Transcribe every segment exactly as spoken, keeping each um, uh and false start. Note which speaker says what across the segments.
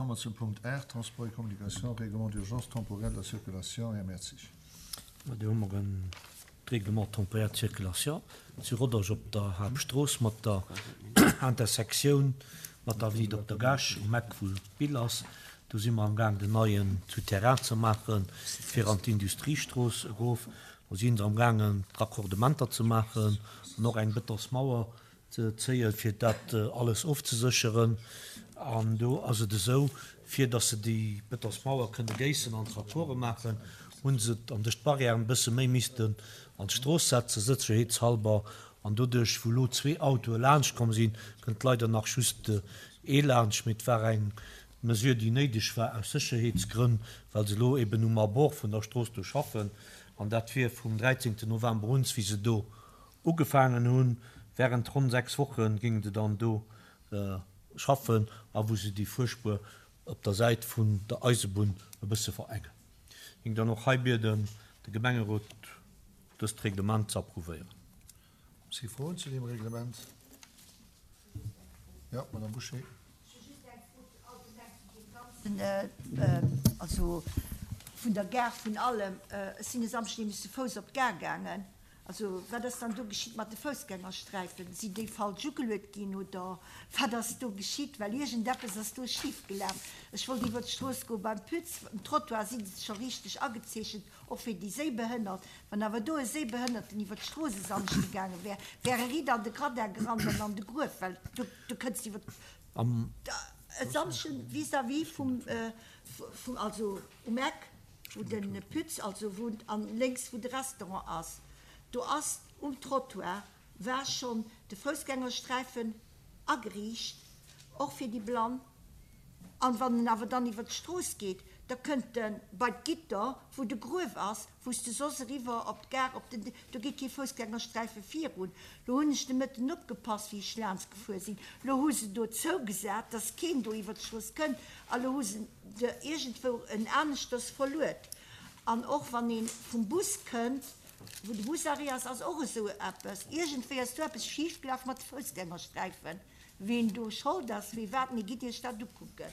Speaker 1: komme mer zum Punkt aacht, Transport et communication, Règlement d'urgence temporaire de la circulation, Här Mertzig.
Speaker 2: Ma do hu mer en Règlement temporaire de circulation zu Rodange op der Haaptstrooss mat der Intersektioun mat der Avenue Dokter Gaasch um Eck wou d'Bill ass. Do si mer amgaang den neien Souterrain ze maachen, fir an d'Industriestrooss erof. Do si se amgaangen d'Raccordementer ze maachen an och eng Betonsmauer ze zéien, fir dat alles ofzesécheren. An do ass et esou, fir datt se déi Betonsmauer kënne géissen an d'Raccorde maachen, hu se an duerch d'Barrièren e bësse méi missten an d'Strooss setzen, sécherheetshalber. An doduerch, wou elo zwee Autoe laanscht komm sinn, kënnt leider nach just ee laanscht. Mee et war eng Mesure, déi néideg war aus Sécherheetsgrënn, well se elo eben um Abord vun der Strooss do schaffen. An dat wier vum dräizéngten November un, wéi se do ugefaangen hunn. Während ronn sechs Woche géinge se dann do schaffen a wou se déi Fuerspuer op der Säit vun der Eisebunn e bësse verengen. Géing dann och hei bieden, de Gemengerot dëst Reglement ze approuvéieren.
Speaker 1: Si Froen zu deem Reglement? Jo, Madame Bouché.
Speaker 3: Also vun der Gare, vun allem. Ech sinn e Samschden nämlech zu Fouss op d'Gare gaangen. Also wat ass dann do geschitt mat de Foussgängersträifen? Sinn déi falsch ugeluet ginn oder wat ass do geschitt? Well iergendeppes ass do schif gelaf. Ech wollt iwwer d'Strooss goe beim Pütz, um Trottoir si se scho richteg agezeechent, och fir déi Séibehënnert. Wann awer do e Séibehënnerten iwwer d'Strooss e Samschde gaange wär, wär e riit an de Gradin gerannt an an de Gruef, well do, do kënns de iwwer e Samschden vis-à-vis vum, vum, also um Eck, wou de Pütz also wunnt an lénks wou de Restaurant ass. Do ass um Trottoir war schonn de Foussgängersträifen ageriicht, och fir déi Blann. An wann en awer dann iwwer d'Strooss geet, da kënnt e bei d'Gitter, wou de Gruef ass, wou s de soss eriwwer op d'Gare, op den, do geet kee Foussgängersträife virun. Lo hunn ech de Mëtten opgepasst, wéi ech laanscht gefuer sinn. Lo hu se do zougesat, dass keen do iwwer d'Strooss kënnt, a lo hu se de iergendwou en aneschters verluet. An och wann ee vum Bus kënnt, wou de Busarrêt ass, ass och esou eppes. Iergendwéi ass do eppes schifgelaf mat de Foussgängersträifen. Ween do Schold ass, wee wat, mee gitt Iech dat ukucken.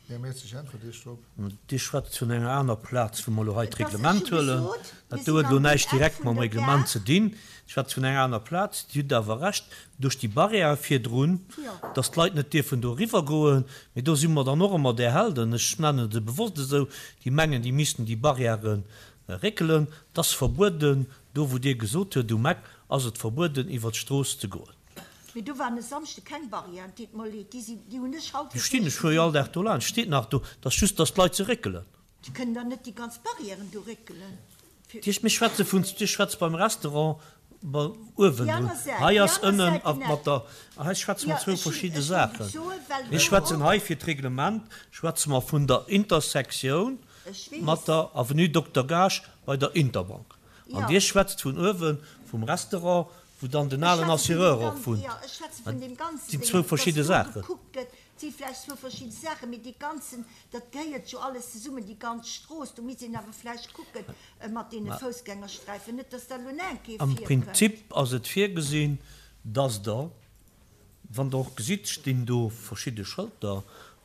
Speaker 1: Här Mertzig, äntwert Iech drop.
Speaker 2: Dir schwätzt vun enger aner Plaz, wou mer elo hei
Speaker 3: Et ass, ech
Speaker 2: d'Reglement
Speaker 3: hu
Speaker 2: huelen.
Speaker 3: gesot,
Speaker 2: Dat
Speaker 3: mir
Speaker 2: do
Speaker 3: sinn
Speaker 2: huet elo
Speaker 3: an dem
Speaker 2: näischt
Speaker 3: Eck
Speaker 2: direkt
Speaker 3: vun
Speaker 2: mam
Speaker 3: der
Speaker 2: Reglement
Speaker 3: Gare.
Speaker 2: ze dinn. Dir schwätzt vun enger aner Plaz. Dir hutt awer Recht, duerch déi Barrière virdrun,
Speaker 3: Jo.
Speaker 2: dass d'Leit net dierfen do eriwwergoen. Mee do si mer dann och ëmmer där Helden, ech nennen se bewosst esou, déi mengen, déi missten déi Barrièren réckelen. Et ass verbueden, do wou Dir gesot hutt, um Eck ass et verbueden, iwwer d'Strooss ze goen.
Speaker 3: Mee do waren e Samschde keng Barrièren, deet mer leed, déi sinn, déi hunn ech haut
Speaker 2: Déi
Speaker 3: fir
Speaker 2: stinn, ech
Speaker 3: d'éischt
Speaker 2: fuere jo
Speaker 3: gesinn.
Speaker 2: all Dag do laanscht, steet nach do. Et ass just, dass d'Leit se réckelen.
Speaker 3: Déi kënnen dann net déi ganz Barrièren do réckelen. Fir.
Speaker 2: Dir, mir schwätze vun, Dir schwätzt beim Restaurant bei uewen
Speaker 3: Déi
Speaker 2: drun.
Speaker 3: aner Säit,
Speaker 2: Hei
Speaker 3: déi
Speaker 2: ass
Speaker 3: aner
Speaker 2: ënnen
Speaker 3: Säit,
Speaker 2: a
Speaker 3: den
Speaker 2: mat
Speaker 3: Eck.
Speaker 2: der, hei schwätze mer
Speaker 3: Jo,
Speaker 2: zwou
Speaker 3: ech hunn,
Speaker 2: verschidde
Speaker 3: ech wollt et
Speaker 2: Saachen.
Speaker 3: soen, well
Speaker 2: Mir
Speaker 3: do
Speaker 2: schwätzen
Speaker 3: och.
Speaker 2: hei fir d'Reglement, schwätze mer vun der Intersektioun
Speaker 3: Ech
Speaker 2: mat
Speaker 3: weess.
Speaker 2: der Avenue Dokter Gaasch bei der Interbank. An
Speaker 3: Jo.
Speaker 2: Dir schwätzt vun uewen vum Restaurant, wou dann den
Speaker 3: Ech
Speaker 2: alen
Speaker 3: schwätze vun deem
Speaker 2: Assureur och
Speaker 3: gan,
Speaker 2: wunnt.
Speaker 3: jo, ech schwätze
Speaker 2: Dat
Speaker 3: vun deem ganzen
Speaker 2: sinn
Speaker 3: Déngen,
Speaker 2: zwou
Speaker 3: dass
Speaker 2: verschidde
Speaker 3: do
Speaker 2: Saachen.
Speaker 3: gekuckt gëtt. Et si vläicht zwou verschidde Saachen, mee dee ganzen, dat gehéiert jo alles zesummen, déi ganz Strooss. Do misst een awer vläicht kucken mat deene
Speaker 2: Mä
Speaker 3: Foussgängersträifen, net dass da elo nach eng Kéier
Speaker 2: am
Speaker 3: virkënnt.
Speaker 2: Prinzip ass et virgesinn, dass Der, wann Der och gesitt, stinn do verschidde Schëlter,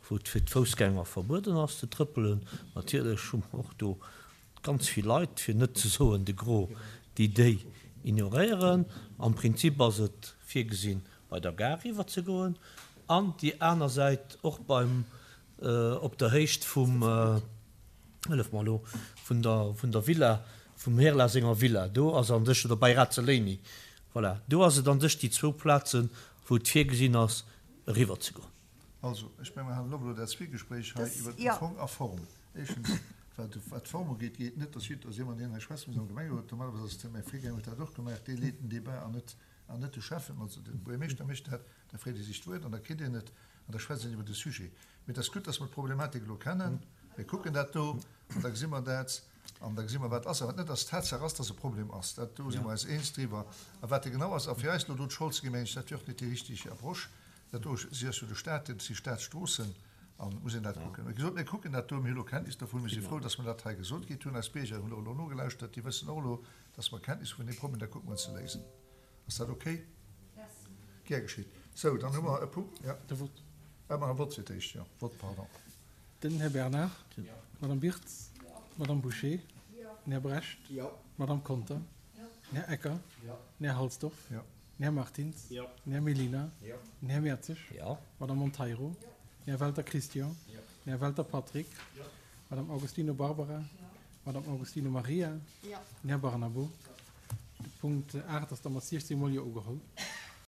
Speaker 2: wou et fir d'Foussgänger verbueden ass ze trëppelen. Natierlech hu mer och do ganz vill Leit, fir net ze soen de Gros, déi déi ignoréieren. Am Prinzip ass et virgesinn, bei der Gare iwwerzegoen an déi aner Säit och beim, op der Héicht vum, hëllef mer elo, vun der, vun der Villa, vum Herla senger Villa, do ass an sech, oder bei Razzolini, voilà, do ass et an sech déi zwou Plazen, wou et virgesinn ass, eriwwerzegoen.
Speaker 1: Also, ech menge mer halen op elo dat Zwiegespréich hei
Speaker 3: Das,
Speaker 1: iwwert den
Speaker 3: jo.
Speaker 1: Fong a Form. Éischtens, wat de, wat d'Form ugeet, geet net, dass jidd, dass jemand, deen hei schwätzt, muss am Gemengerot, normalerweis ass et mäi Virgänger huet dat och gemaach, dee leet den Débat an net, an net de Schäffen, also de Buergermeeschter mécht dat, da freet e sech d'Wuert an da kritt een et an da schwätzt een iwwer de Sujet. Mee et ass gutt, dass mer d'Problematik elo kennen. Mir kucken dat do an da gesi mer dat an da gesi mer, wat ass a wat net ass. Tatsaach ass, dass e Problem ass, dat do si mer eis eens driwwer. A wat e genau ass a fir eis elo do d'Schold ze ginn, meng ech, dat wier och net déi richtig Approche. Dat do si ass jo de Staat, dat si Staatsstroossen an muss een dat kucken. Wéi gesot, mir kucken dat do, mir hu elo Kenntnis dovun, mir si frou, dass mer dat hei gesot kritt hunn. Eis Bierger hunn och elo nogelauschtert, déi wëssen och elo, dass mer Kenntnis hu vun deem Problem, da kucke mer et ze léisen. Ass dat okay? Gär geschitt. Sou, dann hu mer e Punkt, ja.
Speaker 4: De Vott.
Speaker 1: Ah, mer hu Vott fir d'éischt, jo. Vott, pardon.
Speaker 4: Den Här Bernard. D'Madame Birtz. D'Madame Bouché. Den Här Brecht. D'Madame Conter. Den Här Ecker. Den Här Halsdorf. Den Här Martins. Den Här Mellina. Den Här Mertzig. D'Madame Monteiro. Den Här Welter Christian. Den Här Welter Patrick. D'Madame Augustino Barbara. D'Madame Augustino Maria. Den Här Barnabo. De Punkt aacht ass da mat siechzéng mol Jo ugeholl.